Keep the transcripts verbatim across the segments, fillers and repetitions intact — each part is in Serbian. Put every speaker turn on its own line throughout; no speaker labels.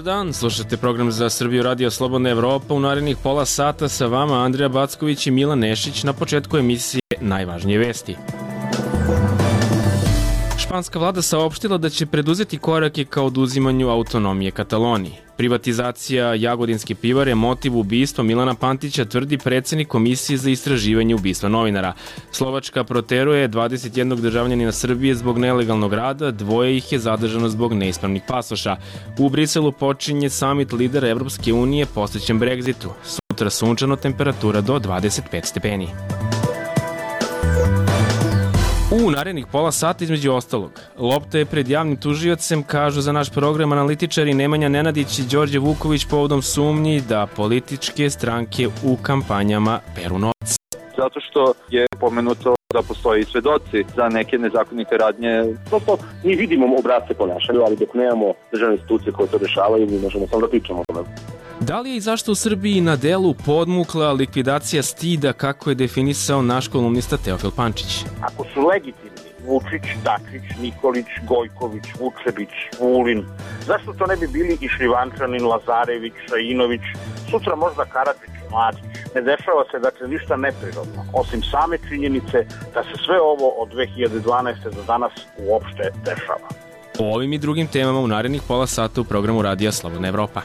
dan, slušate program za Srbiju Radio Slobodna Evropa. U narednih pola sata sa vama Andrija Backović i Milan Nešić. Na početku emisije najvažnije vesti. Španska vlada saopštila da će preduzeti korake ka oduzimanju autonomije Kataloniji. Privatizacija Jagodinske pivare motiv ubistva Milana Pantića, tvrdi predsednik Komisije za istraživanje ubistva novinara. Slovačka proteruje dvadeset jednog državljanina Srbije zbog nelegalnog rada, dvoje ih je zadržano zbog neispravnih pasoša. U Briselu počinje samit lidera Evropske unije posvećen Brexitu. Sutra sunčano, temperatura do dvadeset pet stepeni. U narednih pola sata između ostalog, lopta je pred javnim tužiocem, kažu za naš program analitičari Nemanja Nenadić i Đorđe Vuković povodom sumnji da političke stranke u kampanjama peru novac.
Zato što je pomenuto da postoji svedoci za neke nezakonite radnje. Prosto mi vidimo obrazce ponašanja, ali dok nemamo državne institucije koje to rešavaju, mi možemo samo da pričamo o tome.
Da li je i zašto u Srbiji na delu podmukla likvidacija stida, kako je definisao naš kolumnista Teofil Pančić?
Ako su legitimni Vučić, Dačić, Nikolić, Gojković, Vučević, Vulin, zašto to ne bi bili i Šljivančanin, Lazarević, Šajinović, sutra možda Karadžić, Mladić? Ne dešava se dakle ništa neprirodno, osim same činjenice da se sve ovo od dve hiljade dvanaeste do danas uopšte dešava.
O ovim i drugim temama u narednih pola sata u programu Radija Slobodna Evropa.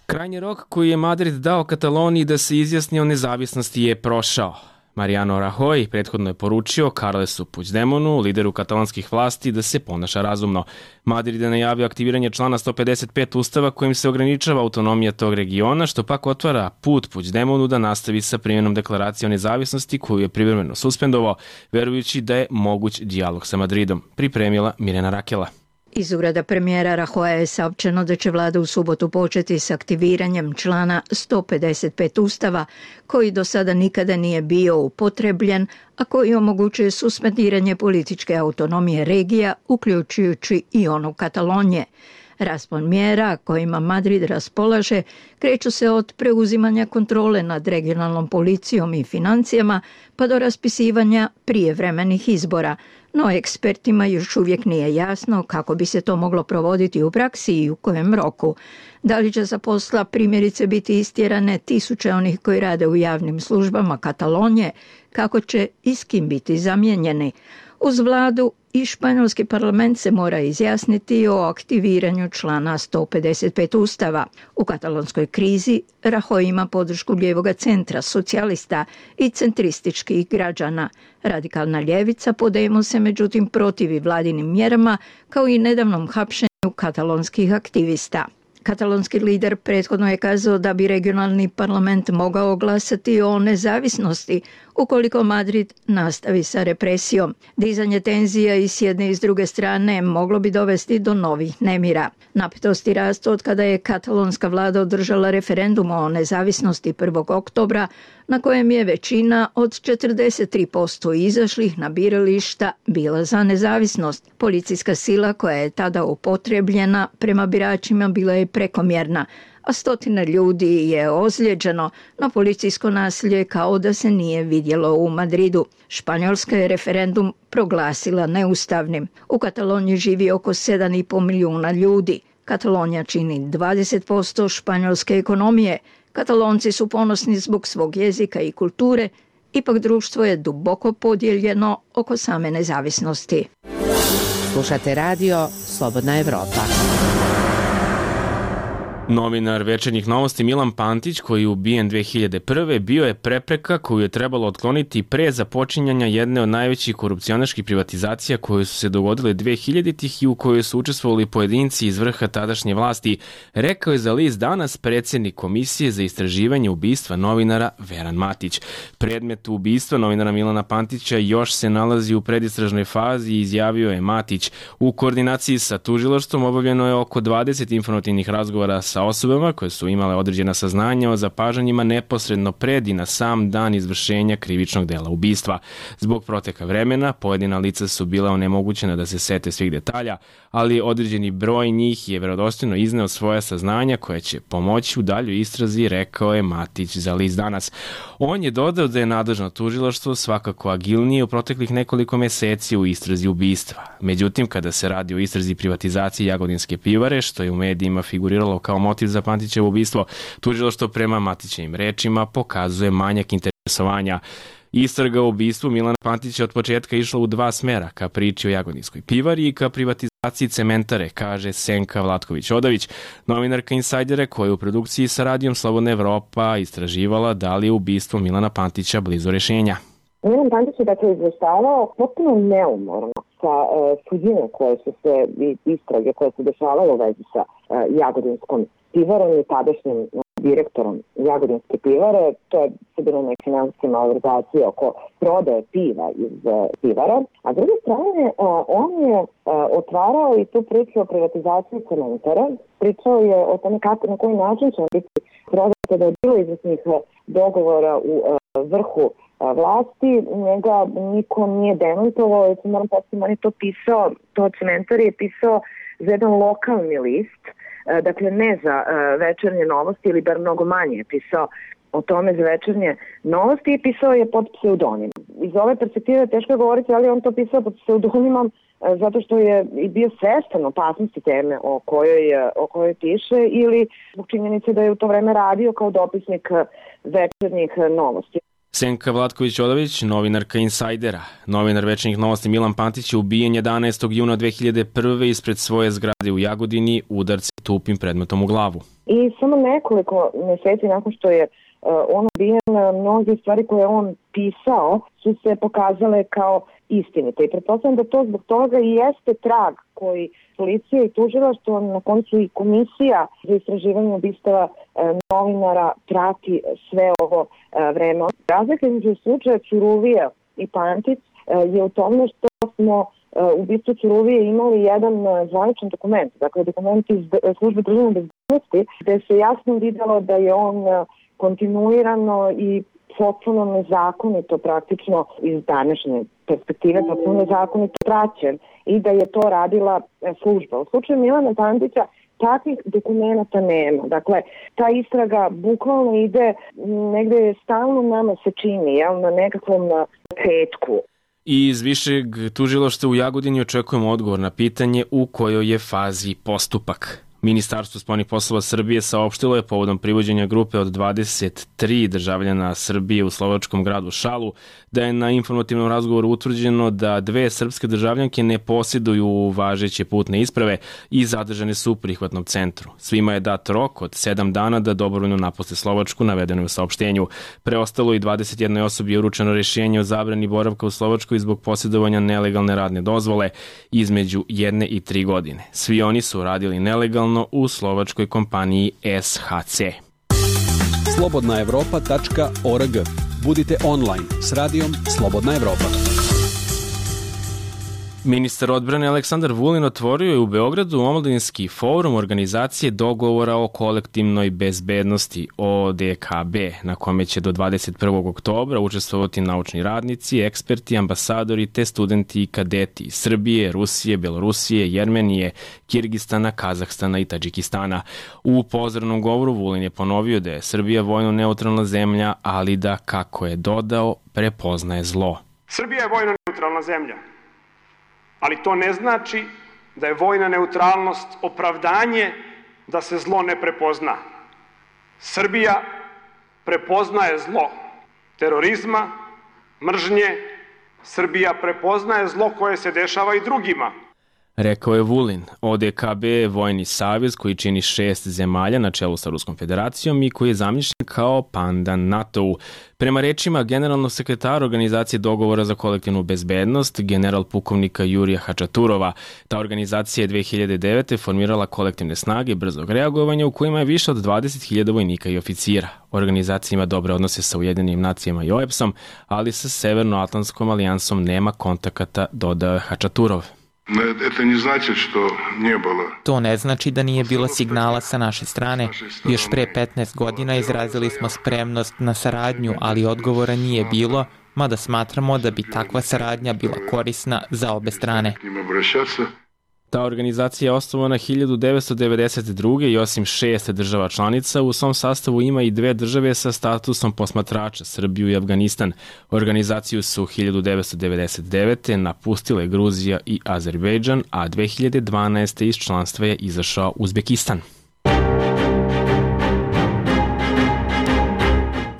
Krajnji rok koji je Madrid dao Kataloniji da se izjasni o nezavisnosti je prošao. Mariano Rajoy prethodno je poručio Carlesu Puigdemonu, lideru katalonskih vlasti, da se ponaša razumno. Madrid je najavio aktiviranje člana sto pedeset pet Ustava kojim se ograničava autonomija tog regiona, što pak otvara put Puigdemonu da nastavi sa primjenom deklaracije o nezavisnosti koju je privremeno suspendovao, verujući da je moguć dijalog sa Madridom. Pripremila Mirjana Rakela.
Iz ureda premijera Rajoya je saopćeno da će vlada u subotu početi s aktiviranjem člana sto pedeset pet Ustava, koji do sada nikada nije bio upotrebljen, a koji omogućuje suspendiranje političke autonomije regija, uključujući i onu Katalonije. Raspon mjera kojima Madrid raspolaže kreću se od preuzimanja kontrole nad regionalnom policijom i financijama pa do raspisivanja prijevremenih izbora, no ekspertima još uvijek nije jasno kako bi se to moglo provoditi u praksi i u kojem roku. Da li će za posla primjerice biti istjerane tisuće onih koji rade u javnim službama Katalonije, kako će i s kim biti zamijenjeni. Uz vladu i španjolski parlament se mora izjasniti o aktiviranju člana sto pedeset pet Ustava. U katalonskoj krizi Rajoy ima podršku lijevoga centra, socijalista i centrističkih građana. Radikalna ljevica Podemos se međutim protivi vladinim mjerama, kao i nedavnom hapšenju katalonskih aktivista. Katalonski lider prethodno je kazao da bi regionalni parlament mogao glasati o nezavisnosti ukoliko Madrid nastavi sa represijom. Dizanje tenzija i s jedne i s druge strane moglo bi dovesti do novih nemira. Napetosti rastu od kada je katalonska vlada održala referendum o nezavisnosti prvog oktobra, na kojem je većina od četrdeset tri posto izašlih na birališta bila za nezavisnost. Policijska sila koja je tada upotrebljena prema biračima bila je prekomjerna, a stotina ljudi je ozlijeđeno, no policijsko nasilje kao da se nije vidjelo u Madridu. Španjolska je referendum proglasila neustavnim. U Kataloniji živi oko sedam i pol milijuna ljudi. Katalonija čini dvadeset posto španjolske ekonomije. Katalonci su ponosni zbog svog jezika i kulture, ipak društvo je duboko podijeljeno oko same nezavisnosti.
Slušate radio Slobodna Evropa.
Novinar Večernjih novosti Milan Pantić, koji je ubijen dve hiljade prve. bio je prepreka koju je trebalo otkloniti pre započinjanja jedne od najvećih korupcionaških privatizacija koje su se dogodile dve hiljaditih i u kojoj su učestvovali pojedinci iz vrha tadašnje vlasti, rekao je za list Danas predsjednik Komisije za istraživanje ubistva novinara Veran Matić. Predmet ubistva novinara Milana Pantića još se nalazi u predistražnoj fazi, izjavio je Matić. U koordinaciji sa tužilaštvom obavljeno je oko dvadeset informativnih razgovora sa sa osobama koje su imale određena saznanja o zapažanjima neposredno pred i na sam dan izvršenja krivičnog dela ubistva. Zbog proteka vremena, pojedina lica su bila onemogućena da se sete svih detalja, ali određeni broj njih je verodostojno izneo svoja saznanja koja će pomoći u daljoj istrazi, rekao je Matić za list Danas. On je dodao da je nadležno tužilaštvo svakako agilnije u proteklih nekoliko meseci u istrazi ubistva. Međutim, kada se radi o istrazi privatizacije Jagodinske pivare, što je u medijima figuriralo kao motiv za Pantićevo ubistvo, tužilaštvo prema Matićevim rečima pokazuje manjak interesovanja. Istraga o ubistvu Milana Pantića od početka išla u dva smera, ka priči o Jagodinskoj pivari i ka privatizaciji cementare, kaže Senka Vlatković-Odavić, novinarka Insajdere koja je u produkciji sa radijom Slobodna Evropa istraživala da li je ubistvo Milana Pantića blizu rešenja.
Milan Pantić je dakle izveštavao potpuno neumorno sa e, suđenja koje su se, istrage koje se dešavale u vezi sa e, Jagodinskom pivarom i tadašnjim direktorom Jagodinske pivare. To je se bilo neke finansijske malverzacije oko prodaje piva iz e, pivara. A s druge strane, e, on je e, otvarao i tu priču o privatizaciji cementara. Pričao je o tome kako, na koji način će biti prodata, da je bilo izvesnih dogovora u e, vrhu vlasti, njega niko nije demantovao, jer se moram postaviti, on je to pisao, to cementar je pisao za jedan lokalni list, dakle ne za Večernje novosti ili bar mnogo manje je pisao o tome za Večernje novosti i pisao je pod pseudonimom. Iz ove perspektive teško je govoriti, ali on to pisao pod pseudonimom zato što je i bio svestan opasnosti teme o kojoj, o kojoj piše ili zbog činjenice da je u to vreme radio kao dopisnik Večernjih novosti.
Senka Vlatković-Odavić, novinarka Insajdera. Novinar Večernjih novosti Milan Pantić je ubijen jedanaestog juna dve hiljade prve ispred svoje zgrade u Jagodini udarce tupim predmetom u glavu.
I samo nekoliko meseci nakon što je uh, on ubijen, mnoge stvari koje on pisao su se pokazale kao istinite. I pretpostavljam da to zbog toga i jeste trag koji policija i tužilaštvo, na koncu i komisija za istraživanje ubistava e, novinara prati sve ovo e, vreme. Razlika između slučaja Ćuruvija i Pantić e, je u tome što smo e, u ubistvu Ćuruvije imali jedan e, zvaničan dokument, dakle dokument iz službe državne bezbednosti, gde se jasno videlo da je on e, kontinuirano i potpuno nezakonito praktično iz današnje perspektive, potpuno nezakonito praćen i da je to radila služba. U slučaju Milana Pantića takvih dokumenta nema. Dakle, ta istraga bukvalno ide negde stalno nama se čini, jel, na nekakvom petku.
I iz višeg tužilaštva u Jagodini očekujemo odgovor na pitanje u kojoj je fazi postupak. Ministarstvo spoljnih poslova Srbije saopštilo je povodom privođenja grupe od dvadeset tri državljana Srbije u slovačkom gradu Šalu da je na informativnom razgovoru utvrđeno da dve srpske državljanke ne posjeduju važeće putne isprave i zadržane su u prihvatnom centru. Svima je dat rok od sedam dana da dobrovoljno napuste Slovačku, navedeno je u saopštenju. Preostalo i dvadeset jednoj osobi je uručeno rješenje o zabrani boravka u Slovačkoj zbog posjedovanja nelegalne radne dozvole između jedne i tri godine. Svi oni su radili nelegalno u slovačkoj kompaniji S H C.
slobodna evropa tačka org. Budite online s radijom Slobodna Evropa.
Ministar odbrane Aleksandar Vulin otvorio je u Beogradu omladinski forum organizacije dogovora o kolektivnoj bezbednosti O D K B, na kome će do dvadeset prvog oktobra učestvovati naučni radnici, eksperti, ambasadori te studenti i kadeti iz Srbije, Rusije, Belorusije, Jermenije, Kirgistana, Kazahstana i Tadžikistana. U pozdravnom govoru Vulin je ponovio da je Srbija vojno neutralna zemlja, ali da, kako je dodao, prepoznaje zlo.
Srbija je vojno neutralna zemlja. Ali to ne znači da je vojna neutralnost opravdanje da se zlo ne prepozna. Srbija prepoznaje zlo terorizma, mržnje. Srbija prepoznaje zlo koje se dešava i drugima.
Rekao je Vulin. O D K B je vojni savez koji čini šest zemalja na čelu sa Ruskom federacijom i koji je zamišljen kao pandan NATO-u. Prema rečima generalnog sekretara Organizacije dogovora za kolektivnu bezbednost, general pukovnika Jurija Hačaturova, ta organizacija je dve hiljade devete. formirala kolektivne snage brzog reagovanja u kojima je više od dvadeset hiljada vojnika i oficira. Organizacija ima dobre odnose sa Ujedinjenim nacijama i O E P S-om, ali sa Severnoatlantskom alijansom nema kontakata, dodao je Hačaturov.
To ne znači da nije bilo signala sa naše strane. Još pre petnaest godina izrazili smo spremnost na saradnju, ali odgovora nije bilo, mada smatramo da bi takva saradnja bila korisna za obe strane.
Ta organizacija je osnovana hiljadu devetsto devedeset druge i osim šest država članica, u svom sastavu ima i dve države sa statusom posmatrača, Srbiju i Afganistan. Organizaciju su hiljadu devetsto devedeset devete napustile Gruzija i Azerbejdžan, a dve hiljade dvanaeste iz članstva je izašao Uzbekistan.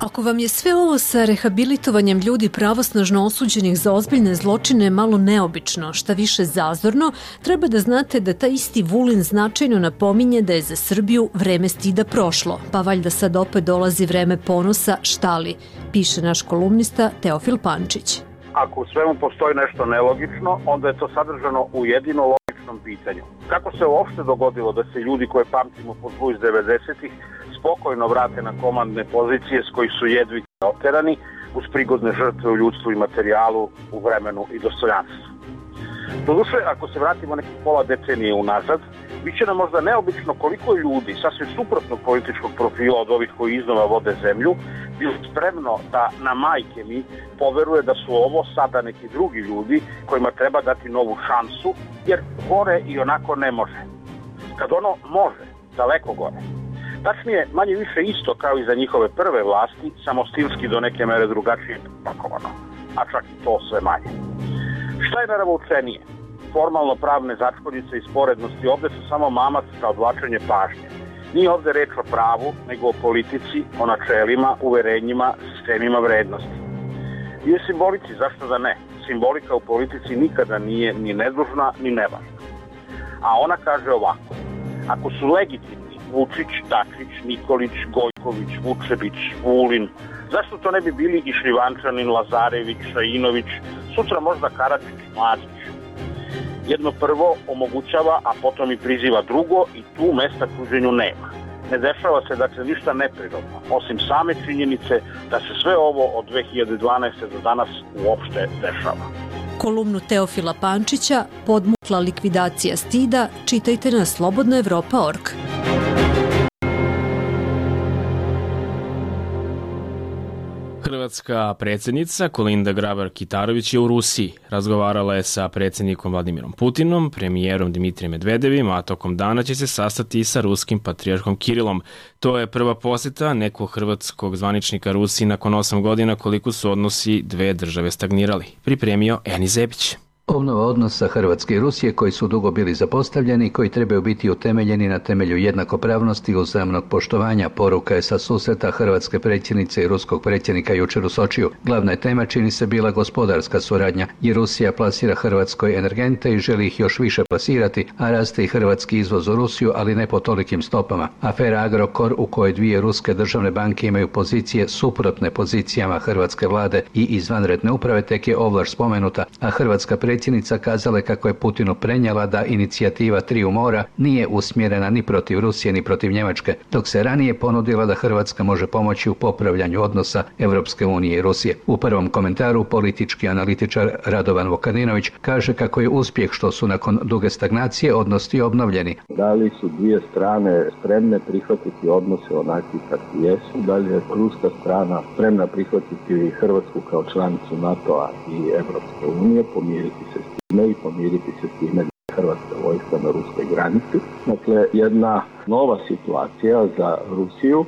Ako vam je sve ovo sa rehabilitovanjem ljudi pravosnažno osuđenih za ozbiljne zločine malo neobično, šta više zazorno, treba da znate da taj isti Vulin značajno napominje da je za Srbiju vreme stida prošlo, pa valjda sad opet dolazi vreme ponosa, šta li, piše naš kolumnista Teofil Pančić.
Ako u svemu postoji nešto nelogično, onda je to sadržano u jedino logičnom pitanju. Kako se uopšte dogodilo da se ljudi koje pamtimo po zlu iz devedesetih spokojno vrate na komandne pozicije s koji su jedvi oterani uz prigodne žrtve u ljudstvu i materijalu, u vremenu i dostojanstvu? Doduše, ako se vratimo nekih pola decenije unazad, bit će nam možda neobično koliko ljudi sasvim suprotnog političkog profila od ovih koji iznova vode zemlju bilo spremno da na majke mi poveruje da su ovo sada neki drugi ljudi kojima treba dati novu šansu, jer gore i onako ne može. Kad ono može, daleko gore. Tačnije, manje više isto kao i za njihove prve vlasti, samo stilski do neke mere drugačije pakovano, a čak i to sve manje. Šta je naravoučenije? Formalno pravne začkoljice i sporednosti ovde su samo mamac za odvlačenje pažnje. Nije ovde reč o pravu, nego o politici, o načelima, uverenjima, sistemima vrednosti. I o simbolici, zašto da ne? Simbolika u politici nikada nije ni nedužna, ni nevažna. A ona kaže ovako: ako su legitimni Vučić, Dačić, Nikolić, Gojković, Vučević, Vulin, zašto to ne bi bili i Šljivančanin, Lazarević, Šajinović, sutra možda Karadžić, Mladić? Jedno prvo omogućava, a potom i priziva drugo i tu mesta kuženju nema. Ne dešava se dakle ništa neprirodno, osim same činjenice da se sve ovo od dve hiljade dvanaeste do danas uopšte dešava.
Kolumnu Teofila Pančića Podmukla likvidacija stida čitajte na slobodna evropa tačka org.
Hrvatska predsjednica Kolinda Grabar-Kitarović je u Rusiji. Razgovarala je sa predsjednikom Vladimirom Putinom, premijerom Dimitrijem Medvedevim, a tokom dana će se sastati i sa ruskim patrijarhom Kirilom. To je prva posjeta nekog hrvatskog zvaničnika Rusiji nakon osam godina koliko su odnosi dve države stagnirali. Pripremio Eni Zebić.
Obnova odnosa Hrvatske i Rusije koji su dugo bili zapostavljeni i koji trebaju biti utemeljeni na temelju jednakopravnosti i uzajamnog poštovanja, poruka je sa susreta hrvatske predsjednice i ruskog predsjednika jučer u Sočiju. Glavna je tema čini se bila gospodarska suradnja, jer Rusija plasira Hrvatskoj energente i želi ih još više plasirati, a raste i hrvatski izvoz u Rusiju, ali ne po tolikim stopama. Afera Agrokor, u kojoj dvije ruske državne banke imaju pozicije suprotne pozicijama hrvatske vlade i izvanredne uprave, tek je ovlaš spomenuta, a hrvatska predsjednica Predsjednica kazala kako je Putinu prenijela da inicijativa Triju mora nije usmjerena ni protiv Rusije ni protiv Njemačke, dok se ranije ponudila da Hrvatska može pomoći u popravljanju odnosa Europske unije i Rusije. U prvom komentaru politički analitičar Radovan Vukadinović kaže kako je uspjeh što su nakon duge stagnacije odnosi obnovljeni.
Da li su dvije strane spremne prihvatiti odnose onakvi kakvi jesu, da li je ruska strana spremna prihvatiti Hrvatsku kao članicu NATO-a i Europske unije, pomiriti se s time i pomiriti se s time da je hrvatska vojska na ruskoj granici. Dakle, jedna nova situacija za Rusiju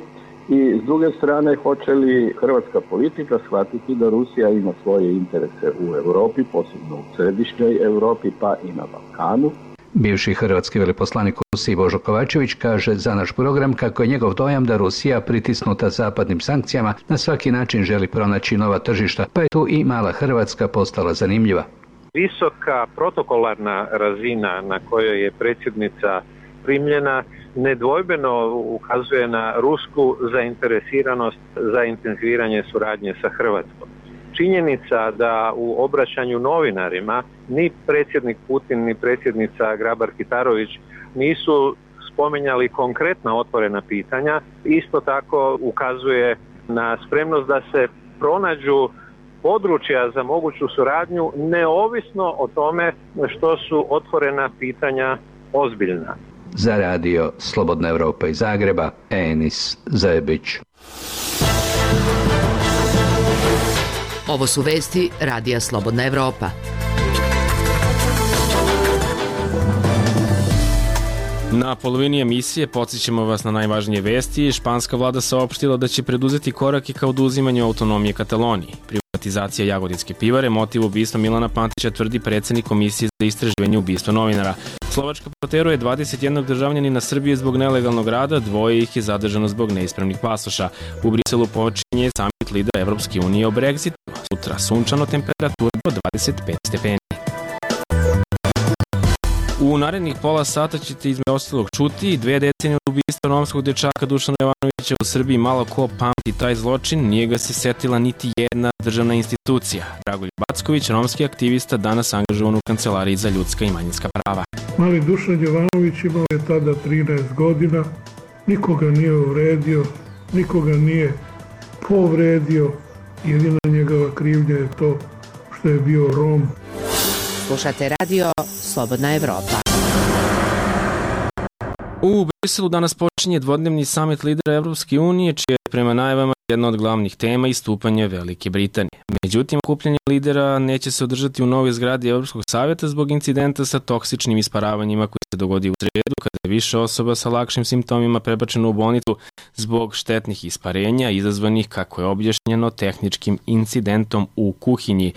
i s druge strane hoće li hrvatska politika shvatiti da Rusija ima svoje interese u Europi, posebno u središnjoj Europi pa i na Balkanu.
Bivši hrvatski veleposlanik u Rusiji Božo Kovačević kaže za naš program kako je njegov dojam da Rusija, pritisnuta zapadnim sankcijama, na svaki način želi pronaći nova tržišta, pa je tu i mala Hrvatska postala zanimljiva.
Visoka protokolarna razina na kojoj je predsjednica primljena nedvojbeno ukazuje na rusku zainteresiranost za intenziviranje suradnje sa Hrvatskom. Činjenica da u obraćanju novinarima ni predsjednik Putin ni predsjednica Grabar-Kitarović nisu spominjali konkretna otvorena pitanja, isto tako ukazuje na spremnost da se pronađu područja za moguću suradnju, neovisno o tome što su otvorena pitanja ozbiljna.
Za radio Slobodna Evropa iz Zagreba, Enis Zajebić.
Ovo su vesti radija Slobodna Evropa.
Na polovini emisije podsjećamo vas na najvažnije vesti. Španska vlada saopštila da će preduzeti korake ka oduzimanju autonomije Kataloniji. Privatizacija Jagodinske pivare, motiv ubistva Milana Pantića, tvrdi predsednik Komisije za istraživanje ubistva novinara. Slovačka proteruje dvadeset jedan državljanina Srbije zbog nelegalnog rada, dvoje ih je zadržano zbog neispravnih pasoša. U Briselu počinje samit lidera Evropske unije o Brexitu. Sutra sunčano, temperatura do dvadeset pet stepeni. U narednih pola sata ćete između ostalog čuti dve decenije od ubistva romskog dečaka Dušana Jovanovića u Srbiji. Malo ko pamti taj zločin, nije ga se setila niti jedna državna institucija. Dragoljub Backović, romski aktivista, danas angažovan u Kancelariji za ljudska i manjinska prava.
Mali Dušan Jovanović imao je tada trinaest godina, nikoga nije uvredio, nikoga nije povredio, jedina njegova krivnja je to što je bio Rom.
Slušate radio Slobodna Evropa.
U Briselu danas počinje dvodnevni samit lidera Evropske unije, čije je prema najavama jedna od glavnih tema istupanje Velike Britanije. Međutim, okupljanje lidera neće se održati u novoj zgradi Evropskog savjeta zbog incidenta sa toksičnim isparavanjima koji se dogodi u sredu kada je više osoba sa lakšim simptomima prebačeno u bolnicu zbog štetnih isparenja izazvanih, kako je objašnjeno, tehničkim incidentom u kuhinji.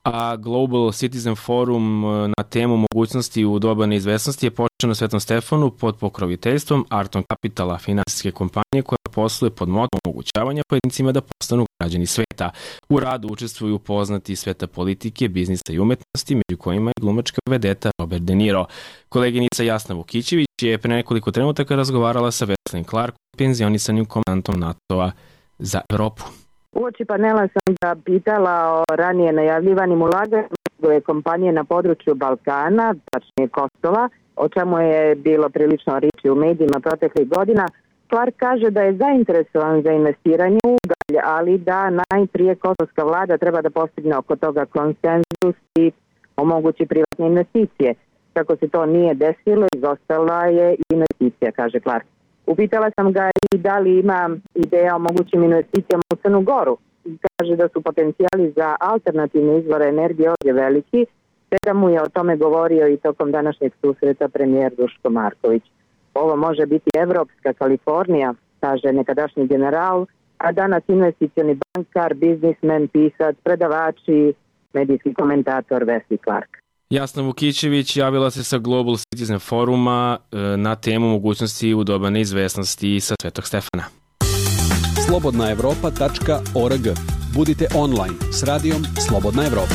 A Global Citizen Forum na temu mogućnosti u doba neizvesnosti je počeo na Svetom Stefanu pod pokroviteljstvom Arton Capitala, finansijske kompanije koja posluje pod motom omogućavanja pojedincima da postanu građani sveta. U radu učestvuju poznati sveta politike, biznisa i umetnosti, među kojima je glumačka vedeta Robert De Niro. Koleginica Jasna Vukićević je pre nekoliko trenutaka razgovarala sa Wesleyem Clarkom, penzionisanim komandantom NATO-a za Evropu.
Uoči panela sam ga pitala o ranije najavljivanim ulaganjima kompanije na području Balkana, tačnije Kosova, o čemu je bilo prilično riječi u medijima proteklih godina. Clark kaže da je zainteresovan za investiranje u ugalj, ali da najprije kosovska vlada treba da postigne oko toga konsenzus i omogući privatne investicije. Kako se to nije desilo, izostala je investicija, kaže Clark. Upitala sam ga i da li ima ideja o mogućim investicijama u Crnu Goru. Kaže da su potencijali za alternativne izvore energije ovdje veliki, te da mu je o tome govorio i tokom današnjeg susreta premijer Duško Marković. Ovo može biti Evropska Kalifornija, kaže nekadašnji general, a danas investicioni bankar, biznismen, pisac, predavači, medijski komentator Wesley Clark.
Jasna Vukićević javila se sa Global Citizen Foruma na temu mogućnosti u doba neizvesnosti sa Svetog Stefana.
slobodna evropa tačka org. Budite online s radijom Slobodna Evropa.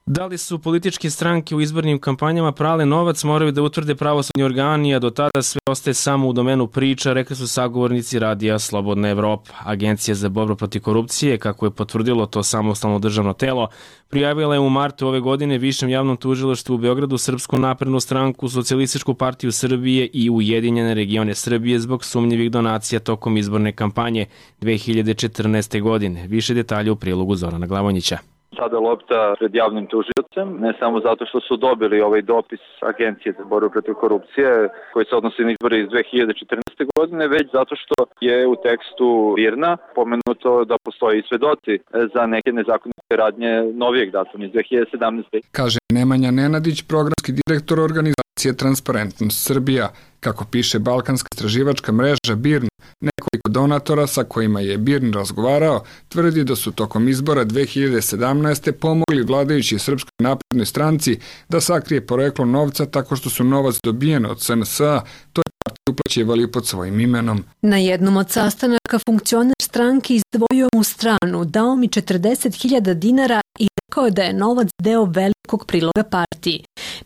Da li su političke stranke u izbornim kampanjama prale novac, moraju da utvrde pravosudni organi, a do tada sve ostaje samo u domenu priča, rekli su sagovornici radija Slobodna Evropa. Agencija za borbu protiv korupcije, kako je potvrdilo to samostalno državno telo, prijavila je u martu ove godine Višem javnom tužilaštvu u Beogradu Srpsku naprednu stranku, Socijalističku partiju Srbije i Ujedinjene regione Srbije zbog sumnjivih donacija tokom izborne kampanje dve hiljade četrnaeste. godine. Više detalja u prilogu Zorana Glavonjića.
Sada lopta pred javnim tužiocem, ne samo zato što su dobili ovaj dopis Agencije za borbu protiv korupcije koji se odnosi na izbore iz dve hiljade četrnaeste. godine, već zato što je u tekstu Virna pomenuto da postoji svedoci za neke nezakonite radnje novijeg datuma iz dve hiljade sedamnaeste.
Kaže Nemanja Nenadić, programski direktor organizacije Transparentnost Srbija. Kako piše Balkanska istraživačka mreža BIRN, nekoliko donatora sa kojima je BIRN razgovarao tvrdi da su tokom izbora dve hiljade sedamnaeste. pomogli vladajući Srpskoj naprednoj stranci da sakrije poreklo novca tako što su novac dobijen od S N S-a, to je partiju uplaćivali pod svojim imenom.
Na jednom od sastanaka funkcioner stranke izdvojio mu stranu, dao mi četrdeset hiljada dinara i rekao da je novac deo velikog priloga partiji.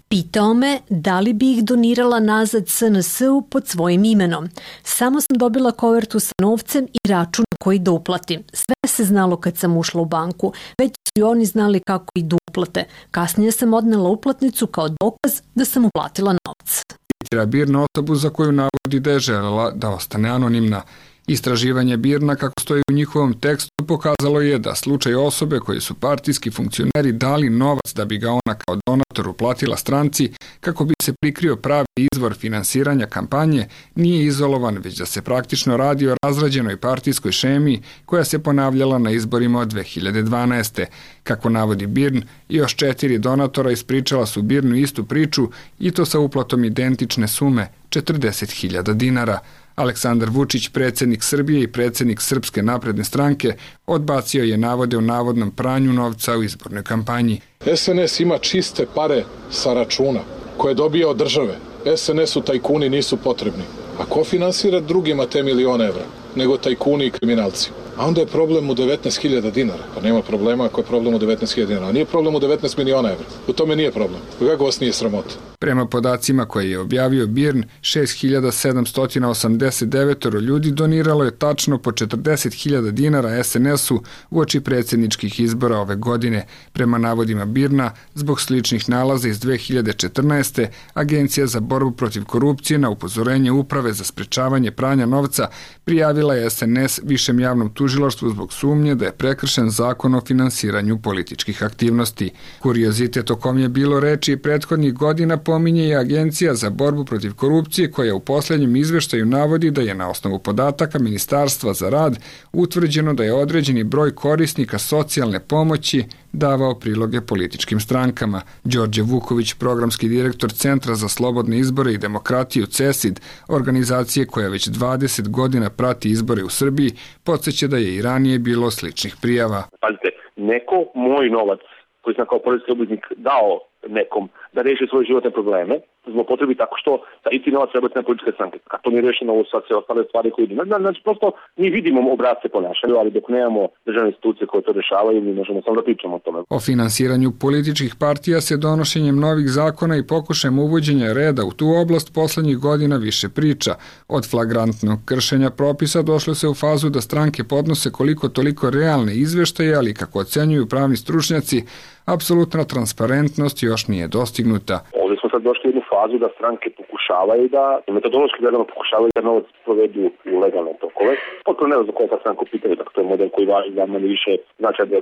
Pitao me da li bi ih donirala nazad S N S-u pod svojim imenom. Samo sam dobila kovertu sa novcem i račun koji da uplatim. Sve se znalo kad sam ušla u banku, već su i oni znali kako idu uplate. Kasnije sam odnela uplatnicu kao dokaz da sam uplatila novac.
Citira BIRN osobu za koju navodi da je želela da ostane anonimna. Istraživanje Birna, kako stoji u njihovom tekstu, pokazalo je da slučaj osobe koji su partijski funkcioneri dali novac da bi ga ona kao donator uplatila stranci kako bi se prikrio pravi izvor finansiranja kampanje nije izolovan, već da se praktično radi o razrađenoj partijskoj šemi koja se ponavljala na izborima od dve hiljade dvanaeste. Kako navodi Birn, još četiri donatora ispričala su Birnu istu priču i to sa uplatom identične sume četrdeset hiljada dinara. Aleksandar Vučić, predsjednik Srbije i predsjednik Srpske napredne stranke, odbacio je navode o navodnom pranju novca u izbornoj kampanji.
es en es ima čiste pare sa računa koje dobija od države. es en esu tajkuni nisu potrebni. A ko finansira drugima te milione evra? Nego tajkuni i kriminalci. A onda je problem u devetnaest hiljada dinara. Pa nema problema ako je problem u devetnaest hiljada dinara. A nije problem u devetnaest miliona evra. U tome nije problem. Kako vas nije sramota?
Prema podacima koje je objavio Birn, šest hiljada sedamsto osamdeset devet ljudi doniralo je tačno po četrdeset hiljada dinara es en esu uoči predsjedničkih izbora ove godine. Prema navodima Birna, zbog sličnih nalaza iz dve hiljade četrnaeste. Agencija za borbu protiv korupcije na upozorenje Uprave za sprečavanje pranja novca prijavila je es en es višem javnom tužilaštvu zbog sumnje da je prekršen zakon o finansiranju političkih aktivnosti. Kuriozitet o kom je bilo reči prethodnih godina pominje i Agencija za borbu protiv korupcije koja u posljednjem izveštaju navodi da je na osnovu podataka Ministarstva za rad utvrđeno da je određeni broj korisnika socijalne pomoći davao priloge političkim strankama. Đorđe Vuković, programski direktor Centra za slobodne izbore i demokratiju C E S I D, organizacije koja već dvadeset godina prati izbore u Srbiji, podsjeća da je i ranije bilo sličnih prijava.
Pazite, neko moj novac koji sam kao poreski obveznik dao nekom da reši svoje životne probleme, zlopotrebi tako što da i ti novac treba na političke stranke. Kad to nije rešeno, ovo sad sve ostale stvari koje idu. Znači, prosto mi vidimo obrazce ponašanja, ali dok nemamo državne institucije koje to rešavaju, mi možemo samo da pričamo o tome.
O finansiranju političkih partija se donošenjem novih zakona i pokušajem uvođenja reda u tu oblast poslednjih godina više priča. Od flagrantnog kršenja propisa došlo se u fazu da stranke podnose koliko toliko realne izveštaje, ali kako ocenjuju pravni stručnjaci, apsolutna transparentnost još nije dostignuta.
Ovdje smo sad došli u jednu fazu da stranke pokušavaju da, metodološki gledano pokušavaju da novac provedu u legalne tokove. Potpuno ne znam za koja sad stranku pitaju, dakle to je model koji važi da manje više znači da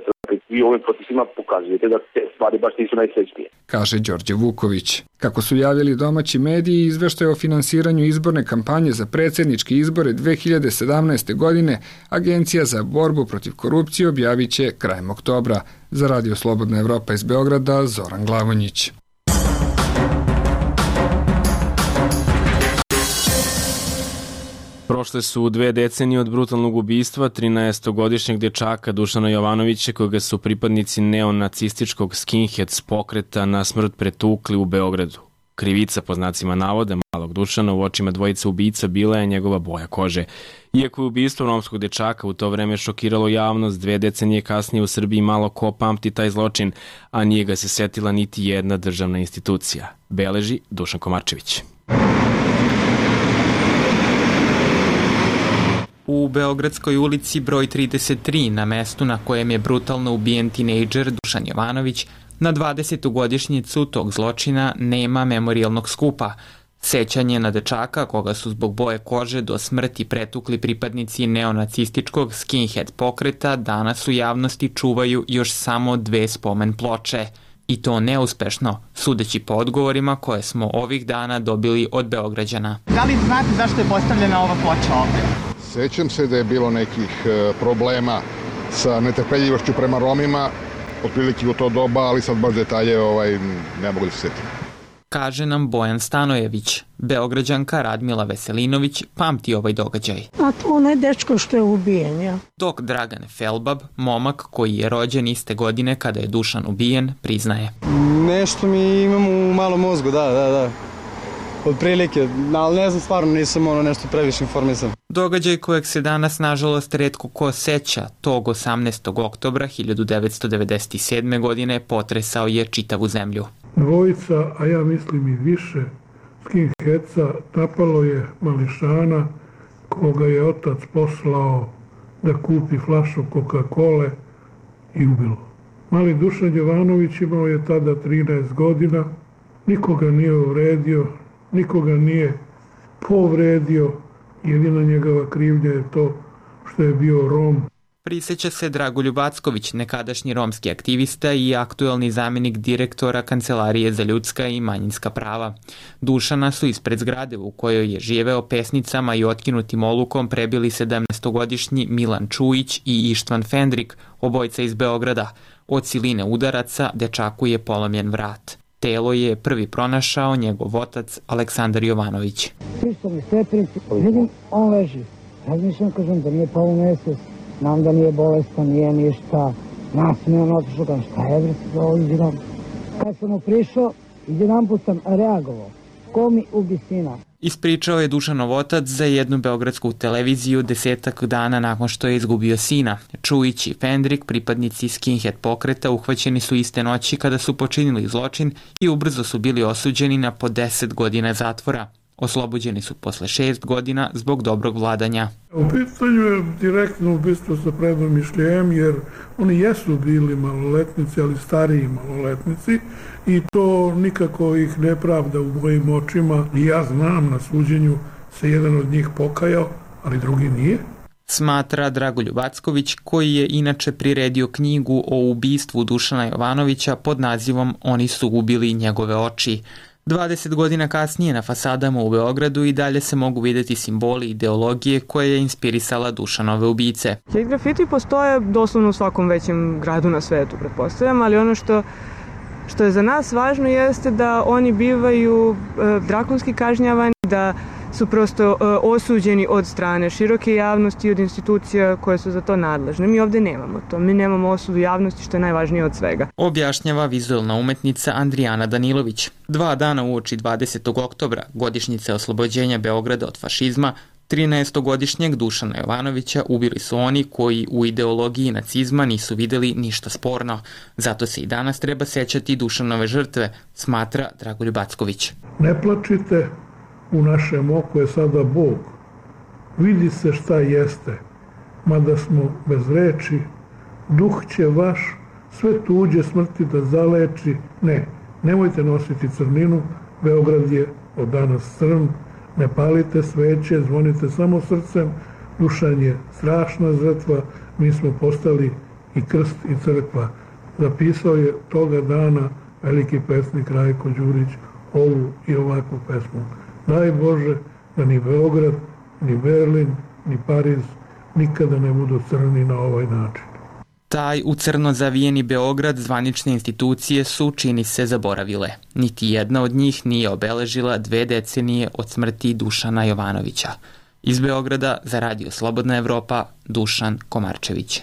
vi ovim procesima pokazujete da te stvari baš nisu najsrećnije.
Kaže Đorđe Vuković. Kako su javili domaći mediji, izveštaj o finansiranju izborne kampanje za predsjedničke izbore dve hiljade sedamnaeste. godine Agencija za borbu protiv korupcije objavit će krajem oktobra. Za Radio Slobodna Evropa iz Beograda, Zoran Glavonjić.
Prošle su dve decenije od brutalnog ubistva trinaestogodišnjeg dečaka Dušana Jovanovića, koga su pripadnici neonacističkog skinheads pokreta na smrt pretukli u Beogradu. Krivica, po znacima navoda, malog Dušana u očima dvojice ubica bila je njegova boja kože. Iako je ubistvo romskog dečaka u to vreme šokiralo javnost, dve decenije kasnije u Srbiji malo ko pamti taj zločin, a nije ga se setila niti jedna državna institucija. Beleži Dušan Komarčević.
U Beogradskoj ulici broj trideset tri, na mestu na kojem je brutalno ubijen tinejdžer Dušan Jovanović, na dvadesetu godišnjicu tog zločina nema memorijalnog skupa. Sećanje na dečaka, koga su zbog boje kože do smrti pretukli pripadnici neonacističkog skinhead pokreta, danas u javnosti čuvaju još samo dve spomen ploče. I to neuspešno, sudeći po odgovorima koje smo ovih dana dobili od Beograđana.
Da li znate zašto je postavljena ova ploča ovde?
Sećam se da je bilo nekih problema sa netrpeljivošću prema Romima, otprilike u to doba, ali sad baš detalje ovaj, ne mogu da se setim.
Kaže nam Bojan Stanojević. Beograđanka Radmila Veselinović pamti ovaj događaj.
A to onaj dečko što je ubijen, ja.
Dok Dragan Felbab, momak koji je rođen iste godine kada je Dušan ubijen, priznaje.
Nešto mi imam u malom mozgu, da, da, da. Od prilike, ali ne znam, stvarno nisam ono nešto previše informisan.
Događaj kojeg se danas nažalost retko ko seća, tog osamnaestog oktobra hiljadu devetsto devedeset sedme. godine potresao je čitavu zemlju.
Dvojica, a ja mislim i više, skinheadsa napalo je mališana koga je otac poslao da kupi flašu Coca-Cole i ubilo. Mali Dušan Jovanović imao je tada trinaest godina, nikoga nije uvredio, nikoga nije povredio Jedina njegova krivnja je to što je bio Rom.
Priseća se Dragoljub Acković, nekadašnji romski aktivista i aktuelni zamjenik direktora Kancelarije za ljudska i manjinska prava. Dušana su ispred zgrade u kojoj je živeo pesnicama i otkinutim olukom prebili sedamnaestogodišnji Milan Čujić i Ištvan Fendrik, obojca iz Beograda. Od siline udaraca dečaku je polomljen vrat. Telo je prvi pronašao njegov otac Aleksandar Jovanović.
Prišao mi stepenici, vidim, on leži. Razmišljam, kažem da nije pao nesvest, znam da nije bolestan, nije ništa. Nasmijan otišao, kažem šta je, bre, se ovdje. Kad sam mu prišao, jedan put sam reagovao. Ko mi ubi sina?
Ispričao je Dušanov otac za jednu beogradsku televiziju desetak dana nakon što je izgubio sina. Čujić i Fendrik, pripadnici skinhead pokreta, uhvaćeni su iste noći kada su počinili zločin i ubrzo su bili osuđeni na po deset godina zatvora. Oslobođeni su posle šest godina zbog dobrog vladanja.
U pitanju je direktno ubistvo sa predomišljajem, jer oni jesu bili maloletnici, ali stariji maloletnici, i to nikako ih ne pravda u mojim očima. I ja znam, na suđenju se jedan od njih pokajao, ali drugi nije.
Smatra Dragoljub Acković, koji je inače priredio knjigu o ubistvu Dušana Jovanovića pod nazivom Oni su ubili njegove oči. dvadeset godina kasnije na fasadama u Beogradu i dalje se mogu vidjeti simboli ideologije koje je inspirisala Dušanove ubice.
Hate grafiti postoje doslovno u svakom većem gradu na svetu, pretpostavljam, ali ono što, što je za nas važno jeste da oni bivaju e, drakonski kažnjavani, da su prosto e, osuđeni od strane široke javnosti i od institucija koje su za to nadležne. Mi ovde nemamo to. Mi nemamo osudu javnosti, što je najvažnije od svega.
Objašnjava vizualna umetnica Andrijana Danilović. Dva dana uoči dvadesetog oktobra, godišnjice oslobođenja Beograda od fašizma, trinaestogodišnjeg Dušana Jovanovića ubili su oni koji u ideologiji nacizma nisu videli ništa sporno. Zato se i danas treba sećati Dušanove žrtve, smatra Dragoljub Acković.
Ne plačite, u našem oku je sada Bog. Vidi se šta jeste, mada smo bez reči, duh će vaš sve tuđe smrti da zaleči. Ne, nemojte nositi crninu, Beograd je od danas crn, ne palite sveće, zvonite samo srcem, Dušan je strašna žrtva, mi smo postali i krst i crkva. Zapisao je toga dana veliki pesnik Rajko Đurić ovu i ovakvu pesmu. Daj Bože da ni Beograd, ni Berlin, ni Pariz nikada ne budu crni na ovaj način.
Taj u crno zavijeni Beograd zvanične institucije su, čini se, zaboravile. Niti jedna od njih nije obeležila dve decenije od smrti Dušana Jovanovića. Iz Beograda za Radio Slobodna Evropa, Dušan Komarčević.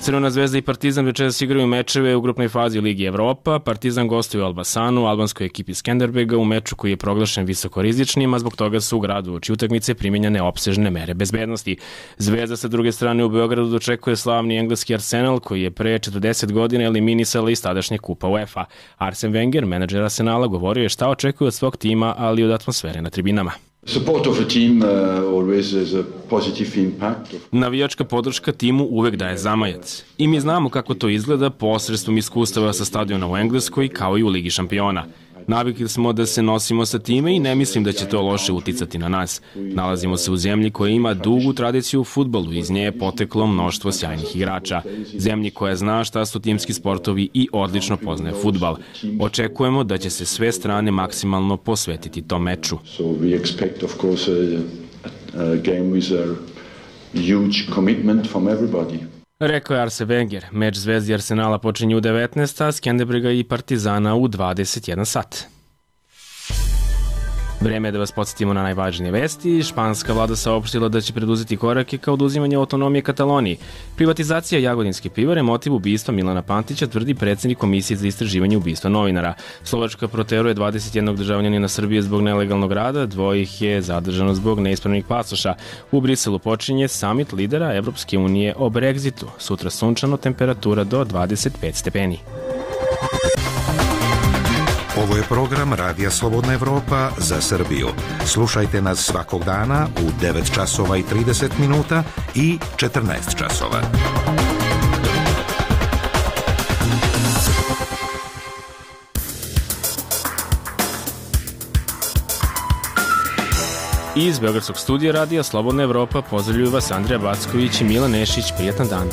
Crvena zvezda i Partizan večeras igraju mečeve u grupnoj fazi Ligi Evropa. Partizan gostuje u Elbasanu, albanskoj ekipi Skenderbega, u meču koji je proglašen visokorizičnim, a zbog toga su u gradu uoči utakmice primenjene opsežne mere bezbednosti. Zvezda sa druge strane u Beogradu dočekuje slavni engleski Arsenal, koji je pre četrdeset godina eliminisala iz tadašnje kupa UEFA. Arsene Wenger, menadžer Arsenala, govorio je šta očekuje od svog tima, ali i od atmosfere na tribinama. Navijačka podrška timu uvek daje zamajac. I mi znamo kako to izgleda posredstvom iskustava sa stadiona u Engleskoj kao i u Ligi šampiona. Navikli smo da se nosimo sa time i ne mislim da će to loše uticati na nas. Nalazimo se u zemlji koja ima dugu tradiciju u fudbalu, iz nje je poteklo mnoštvo sjajnih igrača. Zemlji koja zna šta su timski sportovi i odlično poznaje fudbal. Očekujemo da će se sve strane maksimalno posvetiti tom meču. Rekao je Arsene Wenger. Meč Zvezdi Arsenala počinje u devetnaest, a Skenderbega i Partizana u dvadeset jedan sat. Vreme je da vas podsjetimo na najvažnije vesti. Španska vlada saopštila da će preduzeti korake kao oduzimanje autonomije Kataloniji. Privatizacija Jagodinske pivare motiv ubistva Milana Pantića, tvrdi predsjednik Komisije za istraživanje ubistva novinara. Slovačka proteruje dvadeset jednog državljanina Srbije zbog nelegalnog rada, dvoje ih je zadržano zbog neispravnih pasoša. U Briselu počinje samit lidera Evropske unije o Brexitu. Sutra sunčano, temperatura do dvadeset pet stepeni.
Ovo je program Radija Slobodna Evropa za Srbiju. Slušajte nas svakog dana u devet časova i trideset minuta i četrnaest časova.
Iz Beogradskog studija radija Slobodna Evropa pozdravljuju vas Andreja Backović i Milan Nešić. Prijatan dan.